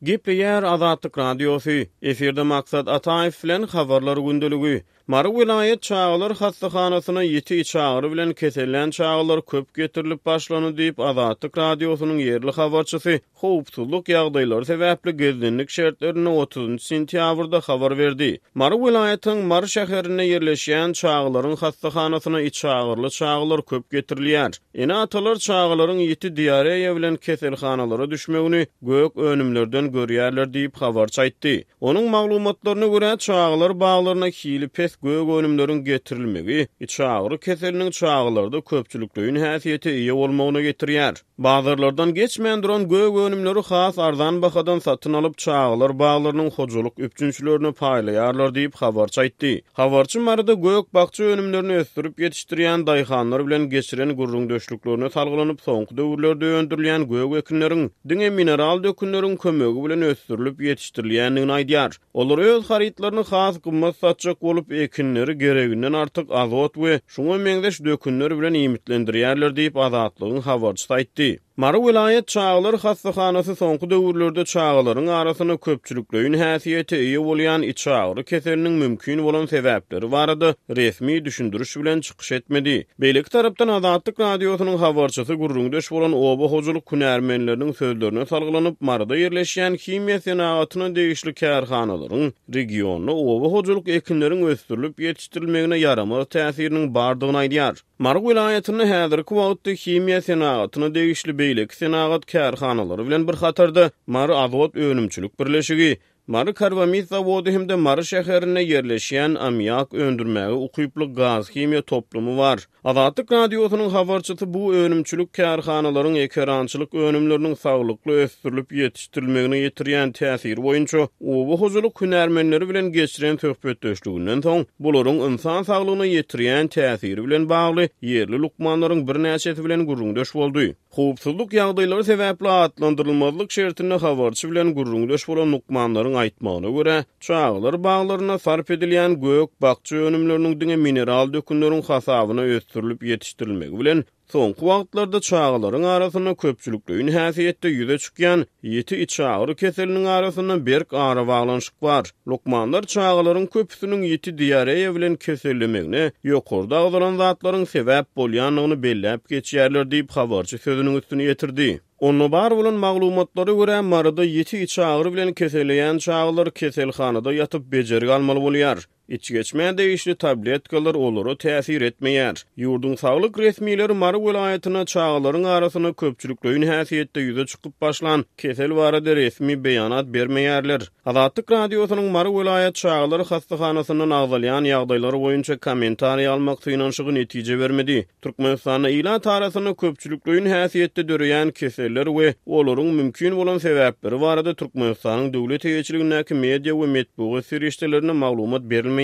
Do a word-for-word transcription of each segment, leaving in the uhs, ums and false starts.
Gepleýär Azatlyk Radiosy, efirde Maksat Ataýew bilen Habarlar gündeligi. Mary welaýat çagalar hassahanasyna ýiti içagyry bilen kesellän çagalar köp getirilip başlandy diýip, Azatlyk Radiosynyň ýerli habarçysy howpsuzlyk ýagdaýlary sebäpli gizlinlik şertlerinde otuzynjy sentýabrda habar berdi. Mary welaýatynyň Mary şäherinde ýerleşýän çagalaryň hassahanasyna içagyryly çagalar köp getirilýär. Ene-atalar çagalaryň ýiti diareýa bilen keselhanalara düşmegini gök önümlerden görýärler diýip, habarçy aýtdy. Onuň maglumatlaryna görä, çagalar baglaryna hili pes gök önümleriň getirilmegi içagyry keseliniň çagalarda köpçülikleýin häsiýete eýe bolmagyna getirýär. Bazarlardan geçmän duran gök önümleri has arzan bahadan satyn alyp, çagalar baglarynyň hojalyk üpjünçilerine paýlaýarlar diýip, habarçy aýtdy. Habarçy Maryda gök-bakja önümlerini ösdürip ýetişdirýän daýhanlar bilen geçiren gürrüňdeşliklerine salgylanyp, soňky döwürlerde öndürilýän gök ekinleriň diňe mineral dökünleriň kömegi bilen ösdürilip ýetişdirilýändigini aýdýar. Olar öz harytlaryny has gymmat satjak bolup, ekinleri gereginden artyk azot we şuňa meňzeş dökünler bilen iýmitlendirýärler diýip, Azatlygyň habarçysy aýtdy. Mary welaýat çagalar hassahanasy soňky döwürlerde çagalaryň arasynda köpçülikleýin häsiýete eýe bolýan içagyry keseliniň mümkin bolan sebäpleri barada resmi düşündiriş bilen çykyş etmedi. Beýleki tarapdan Azatlyk Radiosynyň habarçysy gürrüňdeş bolan oba hojalyk hünärmenleriniň sözlerine salgylanyp, Maryda ýerleşýän himiýa senagatyna degişli kärhanalaryň regionda oba hojalyk ekinleriň ösdürilip ýetişdirilmegine ýaramaz täsiriniň bardygyny aýdýar. Mary welaýatynda häzirki wagtda himiýa senagatyna degişli beýleki senagat kärhanalary bilen bir hatarda Mary azot önümçilik birleşigi, Mary karbamid zawody hem-de Mary şäherinde ýerleşýän ammiak öndürmäge ukyply gaz-himiýa toplumy bar. Azatlyk Radiosynyň habarçysy bu önümçilik kärhanalaryň ekerançylyk önümleriniň saglykly ösdürilip ýetişdirilmegine ýetirýän täsiri boýunça oba hojalyk hünärmenleri bilen geçiren söhbetdeşliginden soň, bularyň ynsan saglygyna ýetirýän täsiri bilen bagly ýerli lukmanlaryň birnäçesi bilen gürrüňdeş boldy. Howpsuzlyk ýagdaýlary sebäpli atlandyrylmazlyk şertinde habarçy bilen gürrüňdeş bolan lukmanlaryň aýtmagyna görä, çagalar baglarynda sarp edilýän gök-bakja önümleriniň diňe mineral dökünleriň hasabyna ösdürilip ýetişdirilmegi bilen, soňky wagtlarda çagalaryň arasynda köpçülikleýin häsiýetde ýüze çykýan ýiti içagyry keseliniň arasynda berk arabaglanyşyk bar. Lukmanlar çagalaryň köpüsiniň ýiti diareýa bilen kesellemegine ýokarda agzalan zatlaryň sebäp bolýandygyny belläp geçýärler diýip, habarçy sözüniň üstüni ýetirdi. Onda bar bolan maglumatlara görä, Maryda ýiti içagyry bilen keselleýän çagalar keselhanada ýatyp bejergi almaly bolýar. Içgeçmä degişli tabletkalar olara täsir etmeýär. Ýurduň saglyk resmileri Mary welaýatynda çagalaryň arasynda köpçülikleýin häsiýetde ýüze çykyp başlan kesel barada resmi beýanat bermeýärler. Azatlyk Radiosynyň Mary welaýat çagalar hassahanasyndan agzalýan ýagdaýlar boýunça kommentariý almak synanyşygy netije bermedi. Türkmenistanda ilat arasynda köpçülikleýin häsiýetde döreýän keseller we olaryň mümkin bolan sebäpleri barada Türkmenistanyň döwlet eýeçiligindäki media we metbugat serişdelerinde maglumat berilmeýär.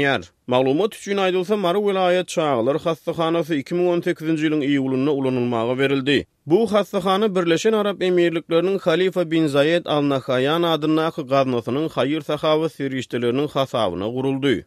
Maglumat üçin aýdylsa, Mary welaýat çagalar hassahanasy iki müň on sekizinji ýylyň iýulynda ulanylmaga berildi. Bu hassahana Birleşen Arap Emirlikleriniň Halifa bin Zaýed Al Nahaýan adyndaky gaznasynyň haýyr-sahawat serişdeleriniň hasabyna guruldy.